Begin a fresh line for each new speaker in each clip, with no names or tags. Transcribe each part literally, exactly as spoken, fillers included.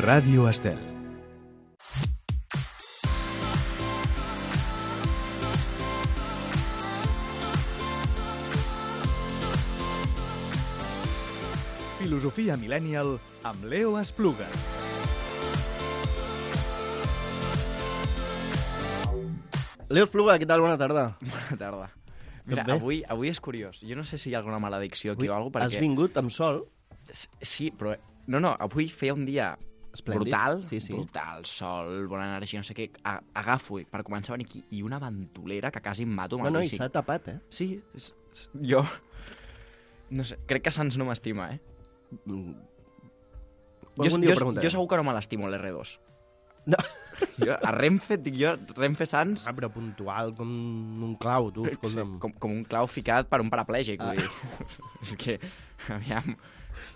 Ràdio Estel. Filosofia Millennial amb Leo Espluga.
Leo Espluga, què tal? Bona tarda.
Bona tarda. Mira, avui, avui és curiós. Jo no sé si hi ha alguna maledicció aquí
Avui
o alguna cosa, perquè...
Has vingut amb sol?
Sí, però... No, no, avui feia un dia
Esplèndid.
brutal,
Sí, sí.
brutal, sol, bona energia, no sé què. A- Agafo per començar a venir aquí i una ventolera que quasi em mato amb
No,
el
no, i
bici.
s'ha tapat, eh?
Sí, és, és, jo... No sé, crec que Sants no m'estima, eh?
Mm.
Jo,
Algun dia ho
jo,
preguntarem.
jo segur que no me l'estimo, l'R dos.
No.
Jo, a Renfe, dic jo, Renfe Sants...
Ah, però puntual com un clau, tu,
Sí,
escolta'm.
com, com un clau ficat per un paraplègic,
Ah.
vull dir. És que, aviam...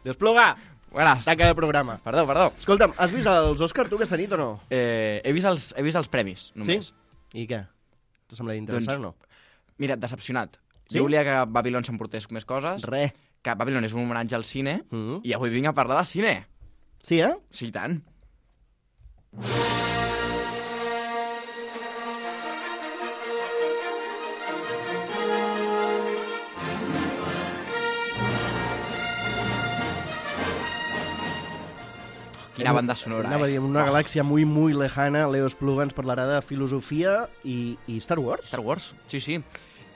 Leo Espluga,
Buenas.
taca de programa.
Perdó, perdó.
Escolta'm, has vist els Òscar tu aquesta nit o no?
Eh, he, vist els, he vist els premis, només.
I què? T'ha semblat interessant
Doncs-
o no?
Mira, decepcionat.
Sí?
Jo volia que Babylon s'emportés més coses,
Re.
que Babylon és un homenatge al cine,
Mm.
i avui vinc a parlar de cine.
Sí, eh?
Sí, i tant. Quina banda sonora,
Anava a
eh?
dir, en una galàxia muy, muy lejana, Leo Espluga ens parlarà de filosofia i, i Star Wars.
Star Wars, sí, sí.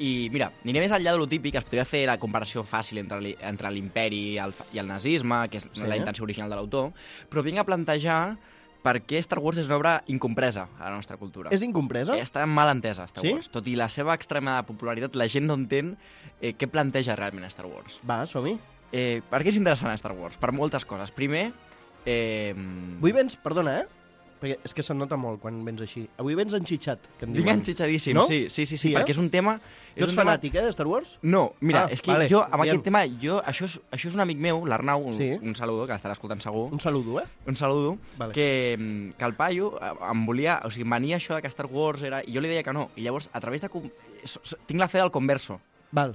I mira, aniré més enllà de lo típic, es podria fer la comparació fàcil entre li- entre l'imperi i el, fa- i el nazisme, que és
Sí.
la intenció original de l'autor, però vinc a plantejar per què Star Wars és una obra incompresa a la nostra cultura.
És incompresa?
Eh, Està mal entesa, Star
Sí?
Wars. Tot i la seva extrema popularitat, la gent no entén eh, què planteja realment Star Wars.
Va, som-hi.
Eh, per què és interessant Star Wars? Per moltes coses. Primer, eh,
Avui vens, perdona, eh? Perquè és que se'n nota molt quan vens així. Avui vens enxitxat, que en
vinc
diuen.
enxitxadíssim,
No?
sí, sí, sí, sí,
Sí, eh?
perquè és un tema...
Tu
és
ets
un tema-
fanàtic, eh, de Star Wars?
No, mira,
Ah,
és que
vale,
jo, amb
digue'm.
aquest tema, jo, això, és, això és un amic meu, l'Arnau, un,
Sí.
un saludo, que l'estarà escoltant segur,
Un saludo, eh?
un saludo,
Vale.
que, mm, que el paio eh, em volia... O sigui, em venia això de que Star Wars era... I jo li deia que no. I llavors, a través de... com- so- so- Tinc la fe del converso.
Val.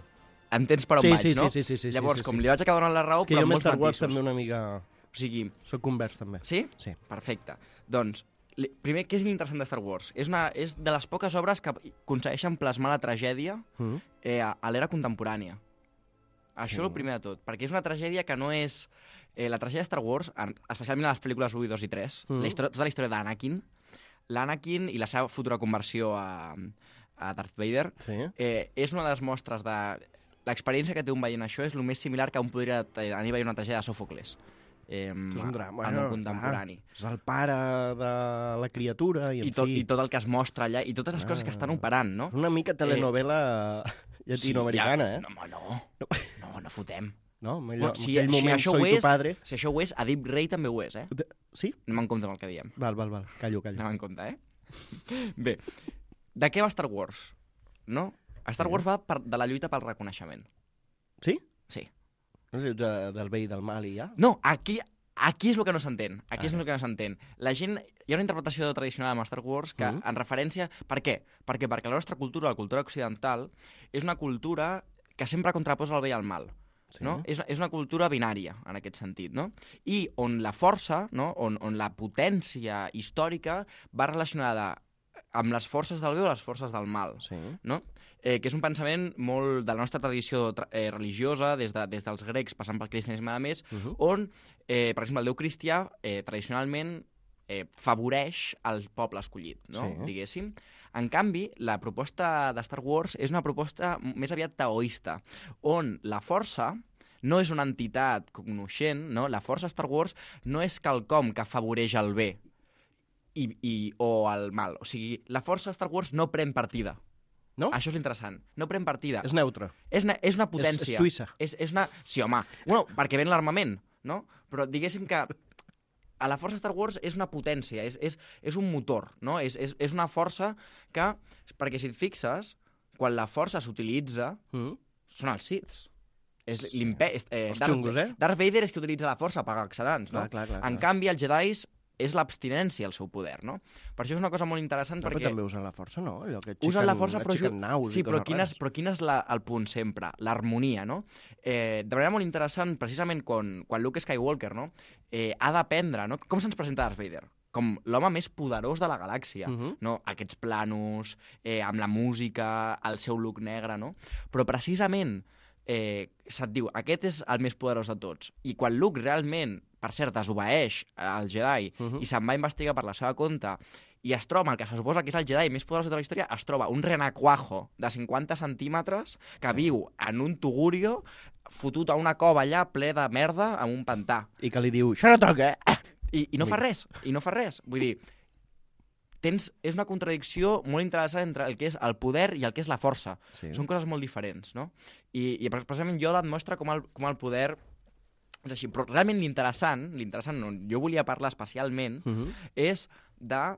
Entens per on
Sí,
vaig,
sí,
no?
sí, sí, sí, sí,
Llavors,
sí, sí.
com li vaig acabar donant la raó,
És que
però
jo
amb
amb
molts
Star Wars
matisos.
també una mica...
O sigui,
Soc convers, també.
sí?
Sí.
Perfecte. Doncs, li- primer, què és l'interessant de Star Wars? És, una, és de les poques obres que aconsegueixen plasmar la tragèdia
Mm.
eh, a, a l'era contemporània. Això
Sí.
és el primer de tot, perquè és una tragèdia que no és... Eh, la tragèdia de Star Wars, en, especialment a les pel·lícules u, dos i tres,
Mm.
la història, tota la història d'Anakin, l'Anakin i la seva futura conversió a, a Darth Vader,
Sí.
eh, és una de les mostres de... L'experiència que té un veient això és el més similar que un podria tenir a veure una tragèdia de Sòfocles. Eh,
És un drama.
amb un contemporani.
Clar, és el pare de la criatura i, en
I tot,
fi...
I tot el que es mostra allà, i totes les
Ah.
coses que estan operant, no?
És una mica telenovela llatinoamericana,
sí, ja,
eh?
No, home, no. No, no fotem.
No? En allò,
Bueno,
en
si,
aquell
si
moment
això
soy
ho
tu
és,
padre...
si això ho és, a Deep Ray també ho és, eh?
De- Sí?
Anem en compte amb el que diem.
Val, val, val. Callo, callo.
Anem en compte, eh? Bé, de què va Star Wars? No? Star Wars va per, de la lluita pel reconeixement.
Sí?
Sí.
No és de, del bé i del mal i ja?
No, aquí, aquí és el que no s'entén. Aquí és
Ah.
el que no s'entén. La gent... Hi ha una interpretació tradicional amb Star Wars que,
Mhm.
en referència... Per què? Perquè, perquè la nostra cultura, la cultura occidental, és una cultura que sempre contraposa el bé i el mal.
Sí.
No? És, és una cultura binària, en aquest sentit, no? I on la força, no? on, on la potència històrica va relacionada amb les forces del bé o les forces del mal,
Sí.
no? Eh, que és un pensament molt de la nostra tradició tra eh, religiosa, des, de, des dels grecs passant pel cristianisme a més,
Uh -huh.
on, eh, per exemple, el déu cristià eh, tradicionalment eh, favoreix el poble escollit, no?
Sí.
Diguéssim. En canvi, la proposta de Star Wars és una proposta més aviat taoista, on la força no és una entitat cognoscent, no? La força Star Wars no és quelcom que afavoreix el bé i, i, o el mal. O sigui, la força Star Wars no pren partida.
No?
Això és l'interessant. No pren partida.
És neutre.
És, ne- és una potència.
És, és Suïssa.
És, és una... Sí, home. Bueno, perquè ven l'armament, no? Però diguéssim que a la força Star Wars és una potència, és, és, és un motor, no? És, és, és una força que... Perquè si et fixes, quan la força s'utilitza,
Mm.
són els Siths. És l'imperi... Eh,
Els
Darth,
xungos, eh?
Darth Vader és qui utilitza la força per excel·lents, no?
Clar, clar, clar,
En
clar.
canvi, els Jedis és l'abstinència el seu poder, no? Per això és una cosa molt interessant,
no,
perquè...
Però també usen la força, no? Allò que aixequen,
usen la força, però...
aixequen naus
sí,
i
però
coses
quin és,
rares.
però quin és la, el punt sempre? L'harmonia, no? Eh, de manera molt interessant, precisament quan, quan Luke Skywalker, no? Eh, ha d'aprendre, no? Com se'ns presenta Darth Vader? Com l'home més poderós de la galàxia, uh -huh. no? Aquests planos, eh, amb la música, el seu look negre, no? Però precisament eh, se't diu, aquest és el més poderós de tots. I quan Luke realment, per cert, desobeeix al Jedi uh -huh. i se'n va investigar per la seva compte i es troba el que se suposa que és el Jedi més poderós de tota la història, es troba un renacuajo de cinquanta centímetres que viu en un tugurio fotut a una cova allà ple de merda amb un pantà.
I que li diu, això no toca!
I, i no fa res, i no fa res. Vull dir, tens, és una contradicció molt interessant entre el que és el poder i el que és la força.
Sí.
Són coses molt diferents, no? I, i precisament Yoda et mostra com el, com el poder és així. Però realment l'interessant, l'interessant, no, jo volia parlar especialment, uh -huh. és de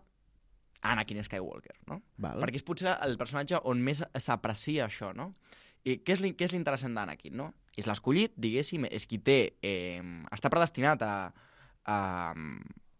Anakin Skywalker, no?
Val.
Perquè és potser el personatge on més s'aprecia això, no? I què és, què és l'interessant d'Anakin, no? És l'escollit, diguéssim, és qui té... Eh, està predestinat a, a,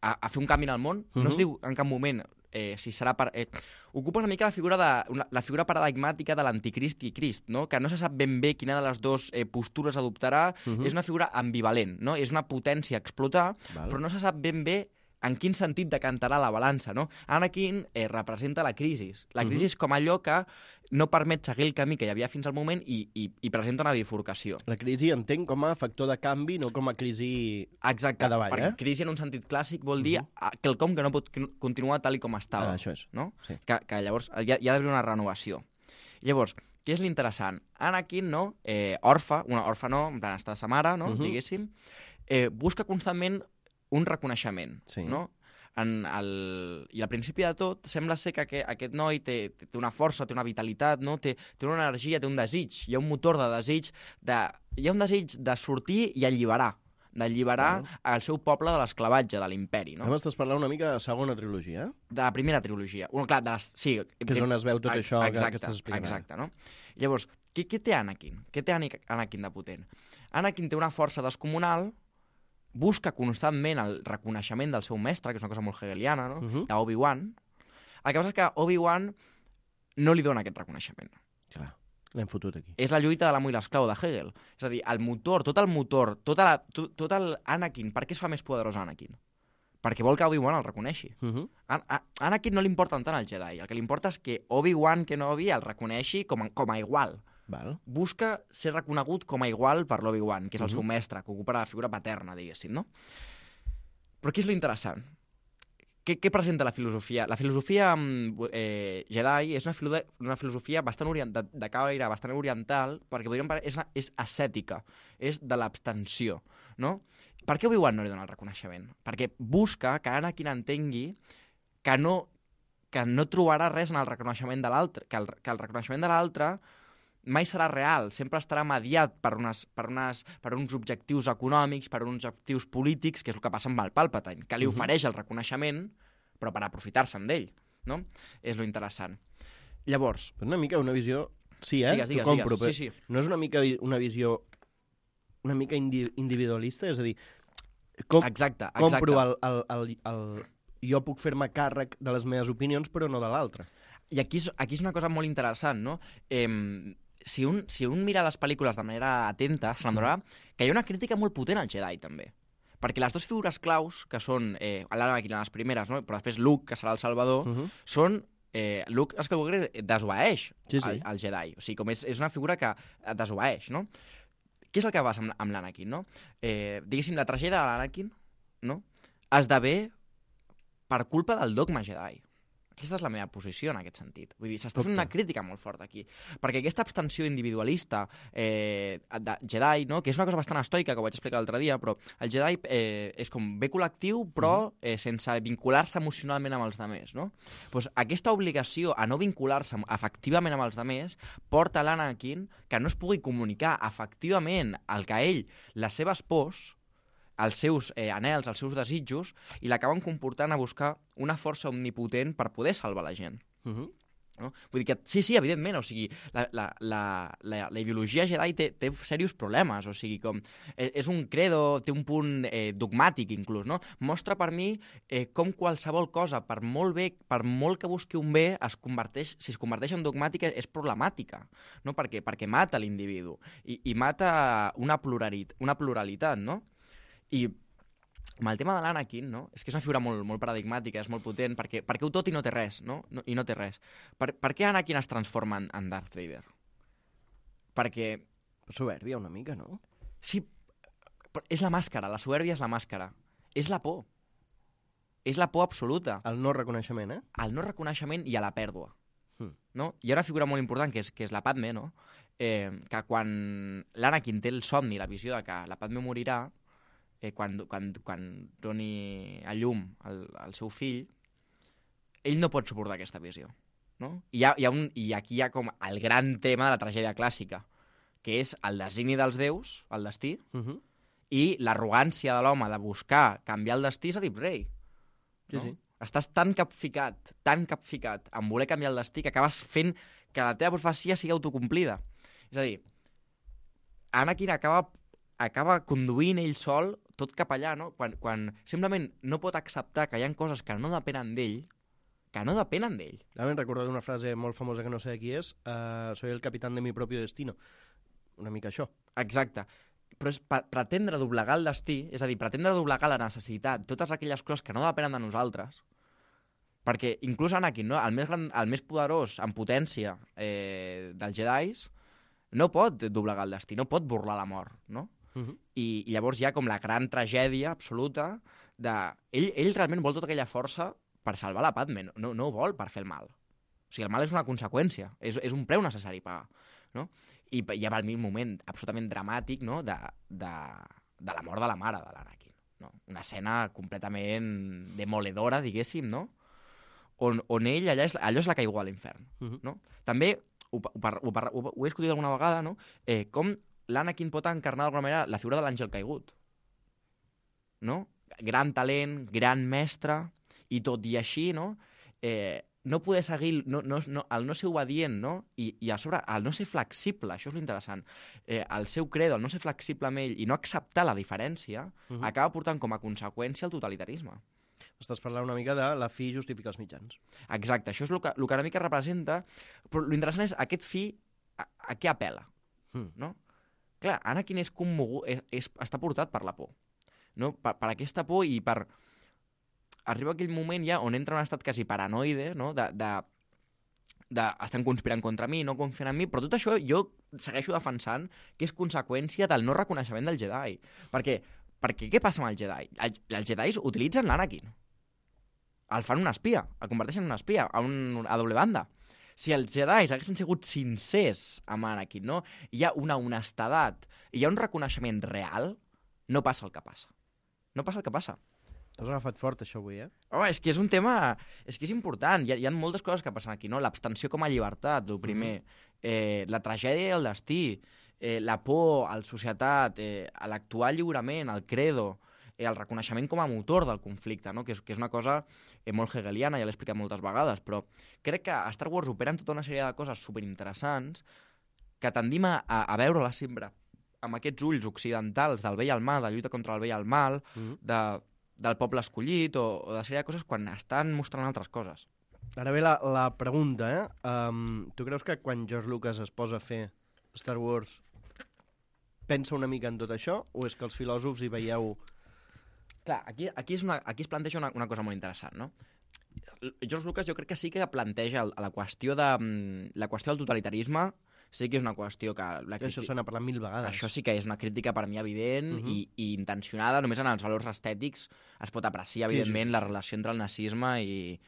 a, a fer un canvi en el món. Uh -huh. No es diu en cap moment eh, si serà... Per, eh, ocupa una mica la figura, de, una, la figura paradigmàtica de l'anticrist i Crist, no? Que no se sap ben bé quina de les dues eh, postures adoptarà. Uh -huh. És una figura ambivalent, no? És una potència a explotar, val, però no se sap ben bé en quin sentit decantarà la balança, no? Anakin eh, representa la crisi. La crisi uh -huh. com allò que no permet seguir el camí que hi havia fins al moment i, i, i presenta una bifurcació.
La crisi entenc com a factor de canvi, no com a crisi
Exacte,
cada vall,
perquè
eh?
crisi en un sentit clàssic vol dir uh -huh. quelcom que no pot continuar tal i com estava.
Ah, això és.
No?
Sí.
Que, que llavors hi ha, hi ha d'haver una renovació. Llavors, què és l'interessant? Anakin, no? Eh, orfe, una orfe no, en plan, està de sa mare, no? Uh -huh. Diguéssim, eh, busca constantment un reconeixement,
sí,
no? En el... I al principi de tot sembla ser que aquest, aquest noi té, té una força, té una vitalitat, no? té, té una energia, té un desig, hi ha un motor de desig, de... hi ha un desig de sortir i alliberar, d'alliberar no. el seu poble de l'esclavatge, de l'imperi. No?
Ara m'estàs parlant una mica de segona trilogia, eh?
De la primera trilogia. Bueno, clar, de les... sí,
que és on es veu tot això
exacte,
que, que estàs explicant.
Exacte, no? Llavors, què, què té Anakin? Què té Anakin de potent? Anakin té una força descomunal, busca constantment el reconeixement del seu mestre, que és una cosa molt hegeliana, no? Uh-huh. d'Obi-Wan. El que passa és que Obi-Wan no li dona aquest reconeixement.
Clar, l'hem fotut aquí.
És la lluita de l'amo i l'esclau de Hegel. És a dir, el motor, tot el motor, tota la, tot, tot el Anakin, per què es fa més poderós Anakin? Perquè vol que Obi-Wan el reconeixi. Uh-huh. A, a Anakin no li importen tant el Jedi. El que li importa és que Obi-Wan Kenobi el reconeixi com a, com a igual.
Val.
Busca ser reconegut com a igual per l'Obi-Wan, que és el uh-huh. seu mestre, que ocupa la figura paterna, diguéssim, no? Però què és l'interessant? Què, què presenta la filosofia? La filosofia eh, Jedi és una, filo una filosofia bastant oriental, de caire bastant oriental, perquè podríem parlar, és, és ascètica, és de l'abstenció, no? Per què Obi-Wan no li dona el reconeixement? Perquè busca que Anakin entengui que no, que no trobarà res en el reconeixement de l'altre, que, el, que el reconeixement de l'altre mai serà real, sempre estarà mediat per, unes, per, unes, per uns objectius econòmics, per uns objectius polítics, que és el que passa amb el Palpatine, que li ofereix el reconeixement, però per aprofitar-se'n d'ell, no? És lo interessant. Llavors...
Però una mica una visió... Sí, eh?
Digues, digues,
compro,
digues. Sí, sí.
No és una mica una visió una mica indi individualista? És a dir, com,
exacte, exacte.
compro el, el, el, el... Jo puc fer-me càrrec de les meves opinions, però no de l'altre.
I aquí és, aquí és una cosa molt interessant, no? Eh, si, un, si un mira les pel·lícules de manera atenta, se n'adonarà que hi ha una crítica molt potent al Jedi, també. Perquè les dues figures claus, que són eh, l'Anakin, les primeres, no? Però després Luke, que serà el Salvador, uh -huh. són... Eh, Luke Skywalker desobeeix
sí, sí.
al, al Jedi. O sigui, com és, és una figura que desobeeix, no? Què és el que passa amb, amb l'Anakin, no? Eh, diguéssim, la tragèdia de l'Anakin, no? esdevé per culpa del dogma Jedi. Aquesta és la meva posició en aquest sentit. Vull dir, s'està fent una crítica molt forta aquí. Perquè aquesta abstenció individualista eh, de Jedi, no? que és una cosa bastant estoica, que ho vaig explicar l'altre dia, però el Jedi eh, és com bé col·lectiu, però eh, sense vincular-se emocionalment amb els altres. No? Pues aquesta obligació a no vincular-se efectivament amb els altres porta l'Anakin que no es pugui comunicar efectivament el que ell, les seves pors, els seus eh, anels, els seus desitjos, i l'acaben comportant a buscar una força omnipotent per poder salvar la gent. Uh-huh. no? Vull dir que, sí, sí, evidentment, o sigui, la, la, la, la, la ideologia Jedi té, té serios problemes, o sigui, com, eh, és un credo, té un punt eh, dogmàtic, inclús, no? Mostra per mi eh, com qualsevol cosa, per molt bé, per molt que busqui un bé, es converteix, si es converteix en dogmàtica, és problemàtica, no? Perquè, perquè mata l'individu i, i mata una pluralitat, una pluralitat, no? I amb el tema de l'Anakin, no? És que és una figura molt, molt paradigmàtica, és molt potent, perquè, perquè ho tot i no té res, no? no I no té res. Per, per què Anakin es transforma en, en Darth Vader? Perquè...
Soberbia una mica, no?
Sí, però és la màscara, la soberbia és la màscara. És la por. És la por absoluta.
El no reconeixement, eh?
El no reconeixement i a la pèrdua.
Hmm.
No? Hi ha una figura molt important, que és, que és la Padme, no? Eh, que quan l'Anakin té el somni, la visió de que la Padme morirà, Eh, quan, quan, quan doni a llum el, el seu fill, ell no pot suportar aquesta visió. No? I, hi ha, hi ha un, I aquí hi ha com el gran tema de la tragèdia clàssica, que és el designi dels déus, el destí,
Uh -huh.
i l'arrogància de l'home de buscar canviar el destí, és a dir, rei.
Sí,
No?
sí.
Estàs tan capficat, tan capficat en voler canviar el destí que acabes fent que la teva profecia sigui autocomplida. És a dir, Anakin acaba, acaba conduint ell sol tot cap allà, no? Quan, quan simplement no pot acceptar que hi ha coses que no depenen d'ell, que no depenen d'ell.
Ara m'he recordat una frase molt famosa que no sé de qui és, uh, soy el capitán de mi propio destino. Una mica això.
Exacte. Però és pa- pretendre doblegar el destí, és a dir, pretendre doblegar la necessitat, totes aquelles coses que no depenen de nosaltres, perquè inclús Anakin, no? el, més gran, el més poderós en potència eh, dels Jedis, no pot doblegar el destí, no pot burlar la mort, no?
Uh -huh.
I, I llavors hi ha com la gran tragèdia absoluta de... Ell, ell realment vol tota aquella força per salvar la Padme, no, no, no ho vol per fer el mal. O sigui, el mal és una conseqüència, és, és un preu necessari pagar, no? I hi ha el moment absolutament dramàtic, no?, de, de, de la mort de la mare de l'Anakin, no? Una escena completament demoledora, diguéssim, no?, on, on ell, allà és, allò és la caiguda a l'infern,
Uh -huh.
no? També, ho, ho, ho, ho, ho he discutit alguna vegada, no?, eh, com l'Anakin pot encarnar d'alguna manera la figura de l'àngel caigut, no? Gran talent, gran mestre, i tot i així, no?, eh, no poder seguir, no, no, no, el no ser obedient, no? I, i a sobre, el no ser flexible, això és l'interessant, eh, el seu credo, el no ser flexible amb ell i no acceptar la diferència,
Uh -huh.
acaba portant com a conseqüència el totalitarisme.
Estàs parlant una mica de la fi justifica els mitjans.
Exacte, això és el que, el que una mica representa, però l'interessant és aquest fi a, a què apel·la,
Mm.
no? Clar, Anakin és commogut, és, és, està portat per la por, no? Per, per aquesta por i per... Arriba aquell moment ja on entra en un estat quasi paranoide, no?, de, de, de estan conspirant contra mi, no confien en mi, però tot això jo segueixo defensant que és conseqüència del no reconeixement del Jedi. Perquè, perquè què passa amb el Jedi? El, els Jedis utilitzen l'Anakin. El fan un espia, el converteixen en un espia, a, un, a doble banda. Si els Jedis haguessin sigut sincers amb Anakin, no?, hi ha una honestedat, hi ha un reconeixement real, no passa el que passa. No passa el que passa.
T'has agafat fort, això, avui, eh?
Home, és que és un tema... És que és important. Hi ha, hi ha moltes coses que passen aquí, no? L'abstenció com a llibertat, el primer. Mm. Eh, la tragèdia i el destí. Eh, la por a la societat. Eh, l'actuar lliurement, el credo. Eh, el reconeixement com a motor del conflicte, no? Que és, que és una cosa eh, molt hegeliana, ja l'he explicat moltes vegades, però crec que a Star Wars operen tota una sèrie de coses superinteressants que tendim a, a veure-la sempre amb aquests ulls occidentals del bé i el mal, de lluita contra el bé i el mal,
Mm.
de del poble escollit o, o de sèrie de coses quan estan mostrant altres coses.
Ara ve la, la pregunta, eh? Um, tu creus que quan George Lucas es posa a fer Star Wars pensa una mica en tot això? O és que els filòsofs hi veieu...
Clar, aquí, aquí, és una, aquí es planteja una, una cosa molt interessant, no? George Lucas jo crec que sí que planteja el, la qüestió de mm, la qüestió del totalitarisme, sí que és una qüestió que... La
Això se n'ha parlat mil vegades.
Això sí que és una crítica per mi evident
Uh -huh.
i, i intencionada, només en els valors estètics es pot apreciar,
Sí,
evidentment,
sí, sí.
la relació entre el nazisme i,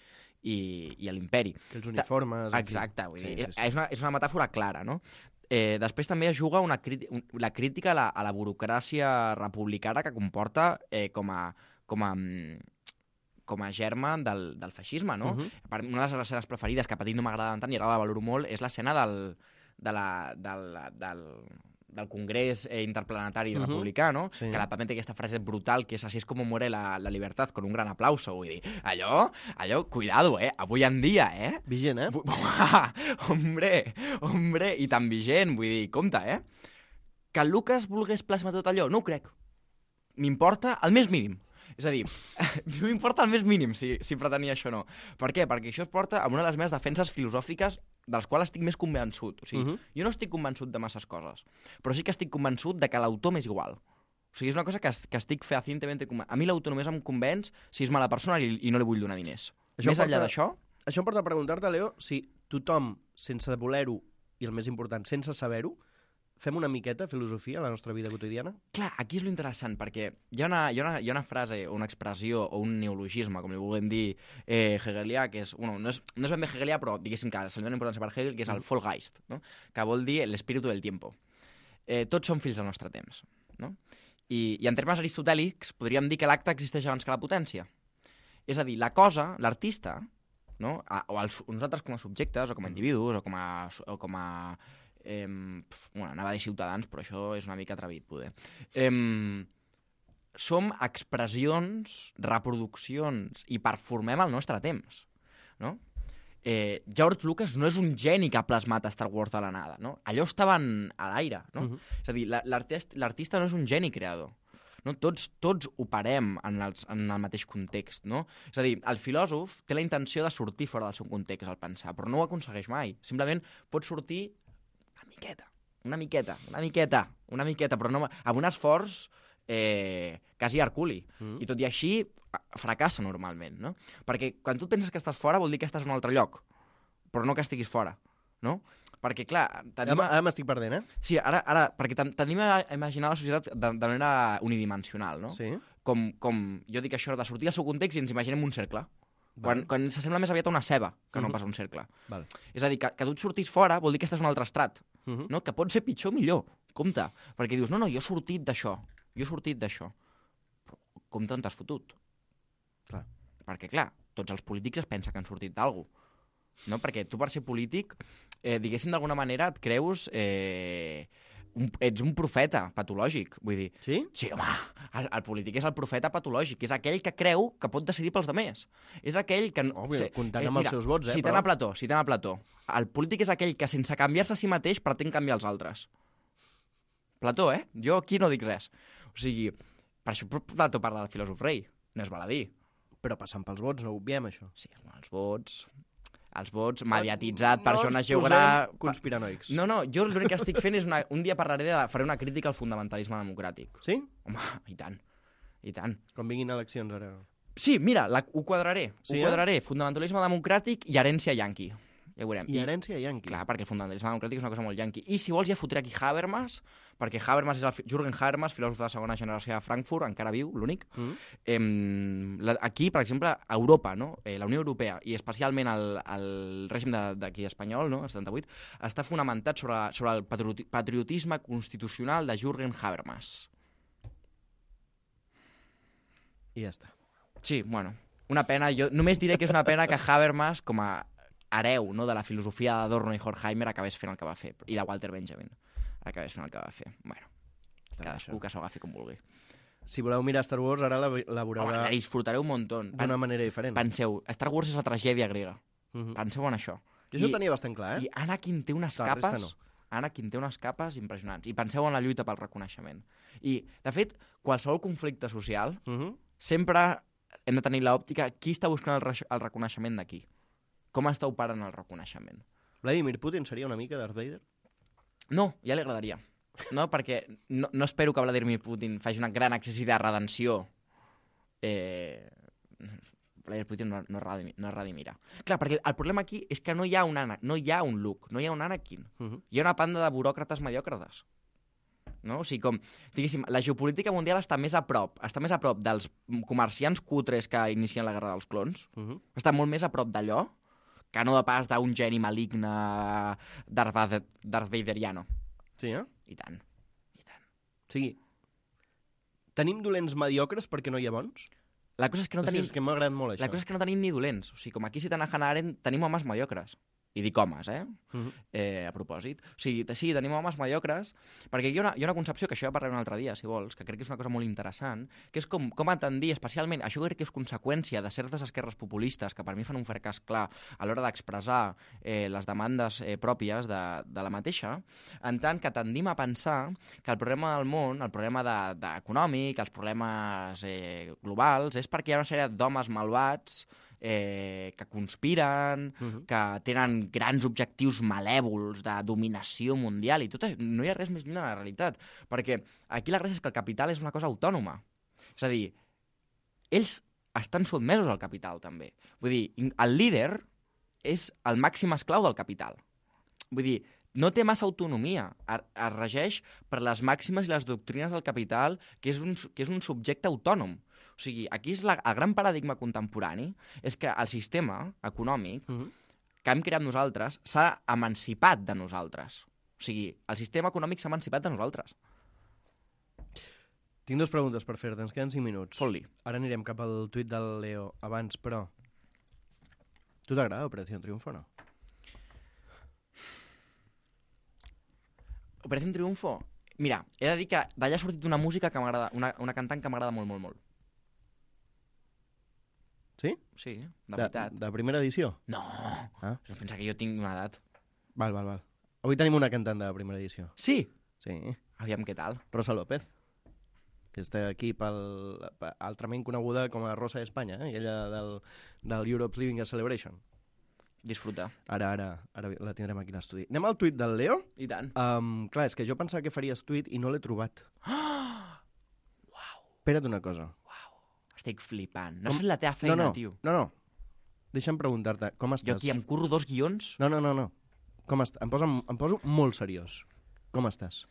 i, i l'imperi.
Que els uniformes... en fi.
Exacte, vull
Sí,
dir,
sí, sí.
És, una, és una metàfora clara, no? Eh, després també es juga una crítica, un, la crítica a la, a la burocràcia republicana que comporta eh, com a... Com a mm, com a germa del, del feixisme, no?
Uh -huh.
Per una de les escenes preferides, que a petit no m'agradaven tant i ara la valoro molt, és l'escena del, de la, del, del, del Congrés eh, Interplanetari
Mhm.
Republicà, no?
Sí.
Que la Pame té aquesta frase brutal, que és así es como muere la, la libertad, con un gran aplauso. Vull dir, allò, allò, cuidado, eh? Avui en dia, eh?
Vigent, eh?
Bu- hombre, hombre, i tan vigent, vull dir, compte, eh? Que el Lucas volgués plasmar tot allò, no ho crec. M'importa el més mínim. És a dir, no m'importa el més mínim si, si pretenia això o no. Per què? Perquè això es porta a una de les meves defenses filosòfiques dels quals estic més convençut. O sigui,
Mhm.
jo no estic convençut de masses coses, però sí que estic convençut de que l'autor m'és igual. O sigui, és una cosa que, es- que estic fehacientment convençut. A mi l'autor només em convenç si és mala persona i, i no li vull donar diners.
Això
Més
porta-
enllà d'això,
Això em porta a preguntar-te, Leo, si tothom, sense voler-ho, i el més important, sense saber-ho, fem una miqueta filosofia a la nostra vida quotidiana?
clar, aquí és lo interessant, perquè hi ha una, hi ha una, hi ha una frase, o una expressió, o un neologisme, com li vulguem dir, eh, hegelià, que és, bueno, no és, no és ben bé hegelià, però diguéssim que se li dona importància per Hegel, que és el Vollgeist, no? Que vol dir l'espíritu del tiempo. Eh, tots som fills del nostre temps, no? I, I en termes aristotèlics podríem dir que l'acte existeix abans que la potència. És a dir, la cosa, l'artista, no? A, o els, nosaltres com a subjectes, o com a individus, o com a... O com a eh, pf, bueno, anava a dir ciutadans, però això és una mica atrevit, poder. Eh, som expressions, reproduccions, i performem el nostre temps, no? Eh, George Lucas no és un geni que ha plasmat Star Wars de la nada, no? Allò estava en, a l'aire, no?
Mhm.
És a dir, la- l'artist- l'artista no és un geni creador. No? Tots, tots operem en, els, en el mateix context, no? És a dir, el filòsof té la intenció de sortir fora del seu context al pensar, però no ho aconsegueix mai. Simplement pot sortir una miqueta, una miqueta, una miqueta, una miqueta, però no, amb un esforç eh, quasi herculi.
Mm.
I tot i així fracassa normalment, no? Perquè quan tu penses que estàs fora vol dir que estàs en un altre lloc, però no que estiguis fora, no? Perquè, clar... Tenim...
Ara, ara m'estic perdent, eh?
Sí, ara, ara perquè ten- tendim a imaginar la societat de, de manera unidimensional, no?
Sí.
Com, com jo dic això de sortir del seu context i ens imaginem un cercle. Quan,
Vale.
quan s'assembla més aviat a una ceba que no
Mhm.
pas a un cercle.
Vale.
És a dir, que, que tu et sortis fora vol dir que estàs en un altre estrat,
Mhm.
no? Que pot ser pitjor o millor. Compte. Perquè dius, no, no, jo he sortit d'això. Jo he sortit d'això. Però compte on t'has fotut.
Clar.
Perquè, clar, tots els polítics es pensa que han sortit d'algú. No? Perquè tu, per ser polític, eh, diguéssim, d'alguna manera et creus... Eh, un, ets un profeta patològic, vull dir.
Sí?
Sí, home, el, el polític és el profeta patològic, és aquell que creu que pot decidir pels demés. És aquell que...
Òbvio, comptant amb els seus vots, eh,
Citant
però-
a Plató, citant a Plató. El polític és aquell que, sense canviar-se a si mateix, pretén canviar els altres. Plató, eh? Jo aquí no dic res. O sigui, per això Plató parla del filòsof rei. No és baladí.
Però passant pels vots, no ho obviem, això.
Sí, bueno, els vots... Els vots, mediatitzat,
no
persones
ens posem
geogràfiques...
conspiranoics.
No, no, jo l'únic que estic fent és una... Un dia parlaré de... Faré una crítica al fonamentalisme democràtic.
Sí?
Home, i tant, i tant.
Quan vinguin eleccions, ara.
Sí, mira, la, ho quadraré.
Sí,
ho
eh?
quadraré. Fonamentalisme democràtic i herència yanqui. Ja ho veurem.
I herència yanqui.
Clar, perquè el fonamentalisme democràtic és una cosa molt yanqui. I si vols ja fotré aquí Habermas, perquè Habermas és el fi- Jürgen Habermas, filòsof de la segona generació de Frankfurt, encara viu, l'únic.
Mm.
Em, la, aquí, per exemple, a Europa, no? eh, la Unió Europea, i especialment el, el règim de- d'aquí espanyol, no? el setanta-vuit, està fonamentat sobre, sobre el patrioti patriotisme constitucional de Jürgen Habermas.
I ja està.
Sí, bueno, una pena. Jo només diré que és una pena que Habermas, com a hereu, no, de la filosofia d'Adorno i Horkheimer, acabés fent el que va fer, i de Walter Benjamin acabés fent el que va fer. Bueno, cadascú que s'ho agafi com vulgui.
Si voleu mirar Star Wars, ara la, la veureu
Home,
de-
la disfrutareu un muntó.
d'una manera diferent.
Penseu, Star Wars és la tragèdia grega.
Mhm.
Penseu en això.
Jo això
I-
ho tenia bastant clar, eh?
I Anakin té unes
La resta
capes...
no.
Anakin té unes capes impressionants. I penseu en la lluita pel reconeixement. I, de fet, qualsevol conflicte social
Mhm.
sempre hem de tenir l'òptica qui està buscant el, re el reconeixement de qui. Com està operant el reconeixement.
Vladimir Putin seria una mica Darth Vader?
No, ja li agradaria. No, perquè no, no espero que Vladimir Putin faci una gran exercici de redenció. Eh... Vladimir Putin no, no, es redimi- no es redimirà. Clar, perquè el problema aquí és que no hi ha un, Ana, no hi ha un Luke, no hi ha un Anakin.
Mhm.
Hi ha una panda de buròcrates mediòcrates. No? O sigui, com, diguéssim, la geopolítica mundial està més a prop, està més a prop dels comerciants cutres que inicien la guerra dels clons,
Mhm.
està molt més a prop d'allò que no de pas d'un geni maligne Darth, Vader, Darth Vaderiano.
Sí, eh?
I tant, i tant.
O sigui, tenim dolents mediocres perquè no hi ha bons?
La cosa és que no
Hòstia,
tenim,
és que m'ha agradat molt això.
la cosa és que no tenim ni dolents. O sigui, com aquí citant a Hannah Arendt, tenim homes mediocres. I dic homes, eh?
Mhm.
eh? A propòsit. O sigui, sí, tenim homes mediocres, perquè hi ha, una, hi ha una concepció, que això ja parlarem un altre dia, si vols, que crec que és una cosa molt interessant, que és com, com atendir, especialment, això crec que és conseqüència de certes esquerres populistes, que per mi fan un fracàs clar a l'hora d'expressar eh, les demandes eh, pròpies de, de la mateixa, en tant que tendim a pensar que el problema del món, el problema de, de econòmic, els problemes eh, globals, és perquè hi ha una sèrie d'homes malvats Eh, que conspiren,
Mhm.
que tenen grans objectius malèvols de dominació mundial i tot això. No hi ha res més lluny de la realitat, perquè aquí la gràcia és que el capital és una cosa autònoma. És a dir, ells estan sotmesos al capital, també. Vull dir, el líder és el màxim esclau del capital. Vull dir, no té massa autonomia, es, es regeix per les màximes i les doctrines del capital, que és un, que és un subjecte autònom. O sigui, aquí és la, el gran paradigma contemporani, és que el sistema econòmic
Mhm.
que hem creat nosaltres s'ha emancipat de nosaltres. O sigui, el sistema econòmic s'ha emancipat de nosaltres.
Tinc dues preguntes per fer-te, ens queden cinc minuts.
Fot-li.
Ara anirem cap al tuit del Leo abans, però... Tu t'agrada Operació Triunfo o no?
Operación Triunfo? Mira, he de dir que d'allà ha sortit una música que m'agrada, una, una cantant que m'agrada molt, molt, molt.
Sí?
Sí, de veritat.
De, de primera edició?
No!
Ah.
Jo pensa que jo tinc una edat.
Val, val, val. Avui tenim una cantant de primera edició.
Sí?
Sí.
Aviam què tal.
Rosa López. Que està aquí pel, altrament coneguda com a Rosa d'Espanya, eh? Ella del, del Europe's Living a Celebration.
Disfruta.
Ara, ara, ara la tindrem aquí a l'estudi. Anem al tuit del Leo.
I tant.
Um, clar, és que jo pensava que faries tuit i no l'he trobat.
Uau,
Espera't una cosa.
estic flipant. No
Com-
has fet la teva feina,
no, no,
tio.
no, no. Deixa'm preguntar-te, com estàs?
Jo aquí em curro dos guions.
No, no, no, no. Com estàs? Em, poso, em poso molt seriós. Com estàs?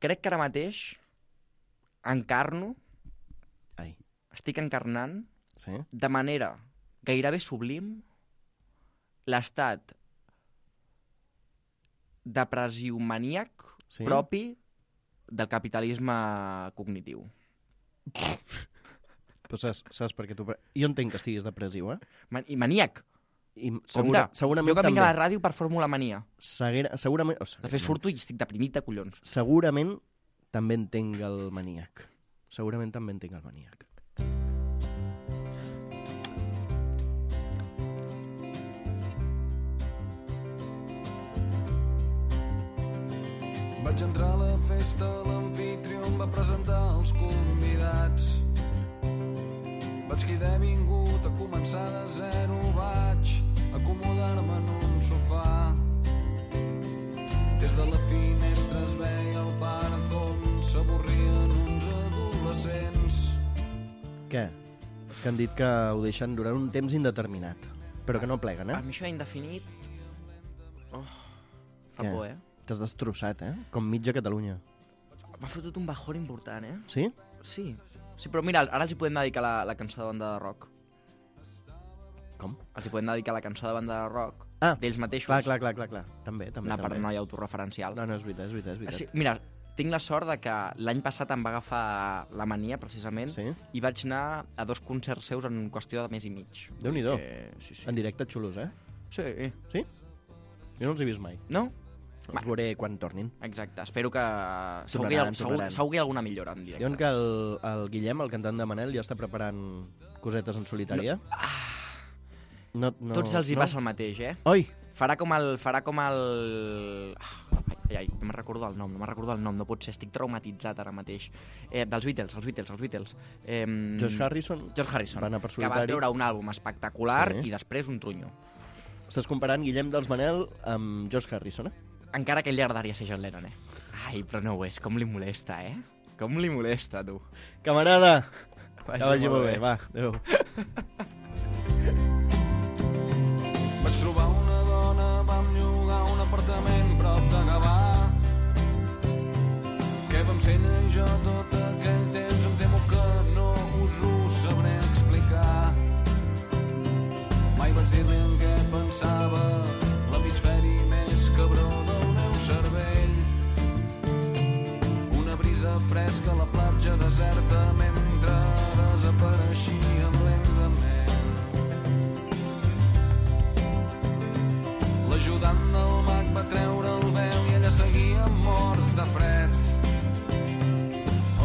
Crec que ara mateix encarno,
Ai,
estic encarnant
sí?
de manera gairebé sublim l'estat depressiu maníac
Sí?
propi del capitalisme cognitiu.
Però saps, saps per què tu... Jo entenc que estiguis depressiu, eh?
Man I maníac.
I
Compte,
segura, segurament
jo que vinc
també.
a la ràdio per Fórmula Mania.
Segura, segurament, oh,
Després
segurament,
surto i estic deprimit de collons.
segurament també entenc el maníac. Segurament també entenc el maníac.
Vaig entrar a la festa, l'anfitrió em va presentar els convidats. Vaig cridar vingut a començar de zero, vaig acomodar-me en un sofà. Des de la finestra es veia el parc on s'avorrien uns adolescents.
Què? Que han dit que ho deixen durant un temps indeterminat. Però que no pleguen,
A
eh?
mi això indefinit... Oh, fa
Què?
por, eh?
T'has destrossat, eh? Com mitja Catalunya.
M'ha fotut un bajón important, eh?
Sí?
Sí. Sí, però mira, ara els hi podem dedicar la, la cançó de banda de rock.
Com?
Els hi podem dedicar la cançó de banda de rock
Ah,
d'ells mateixos.
clar, clar, clar, clar, clar. També, també,
Una
també.
paranoia autorreferencial.
No, no, és veritat, és veritat, és veritat.
Sí, mira, tinc la sort de que l'any passat em va agafar la mania, precisament,
Sí?
i vaig anar a dos concerts seus en qüestió de mes i mig.
Déu-n'hi-do.
Eh, sí, sí.
En directe xulos, eh?
Sí.
Sí? Jo no els he vist mai.
No?
Els veuré quan tornin.
Exacte. Espero que... Segur que, hi ha,
Tornaran,
segur,
tornaran.
segur que hi ha alguna millora en directe.
Diuen que el, el Guillem, el cantant de Manel, ja està preparant cosetes en solitària. No, no,
Tots els hi
no?
passa el mateix, eh?
Oi!
Farà com el... Farà com el... Ah, ai, ai, no me'n recordo el nom, no me'n recordo el nom, no pot ser, estic traumatitzat ara mateix. Eh, dels Beatles, els Beatles, els Beatles. Eh,
Josh Harrison
George Harrison,
va anar per
que va
solitari.
treure un àlbum espectacular
Sí.
i després un trunyo.
Estàs comparant Guillem dels Manel amb Josh Harrison, eh?
Encara que ell li agradaria ser John Lennon, eh? Ai, però no ho és, com li molesta, eh? Com li molesta, tu.
Camarada! Que vagi molt bé, va, adéu.
Vaig trobar una dona, vam llogar un apartament prop de Gavà. Què vam ser ell i jo tot aquell temps, em temo que no us ho sabré explicar. Mai vaig dir-li en què pensava, l'hemisferi més cabró del meu cervell. Una brisa fresca a la platja deserta mentre desapareixíem lentament. L'ajudant del mag va treure el vel i ella seguia morts de fred.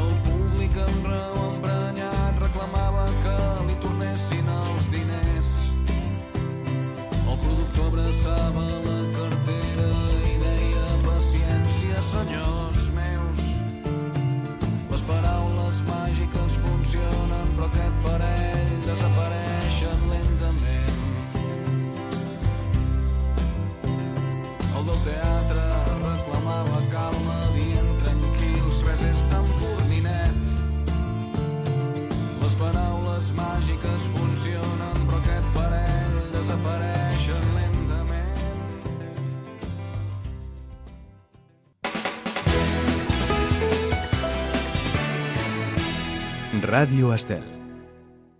El públic amb raó emprenyat reclamava que li tornessin els diners. El productor abraçava la cartera i deia: paciència, senyors meus. Les paraules màgiques funcionen, però aquest parell desapareixen lentament. El del teatre reclamava calma, dient: tranquils, res és tan pur ni net. Les paraules màgiques funcionen, però aquest parell desapareixen lentament.
Ràdio Estel.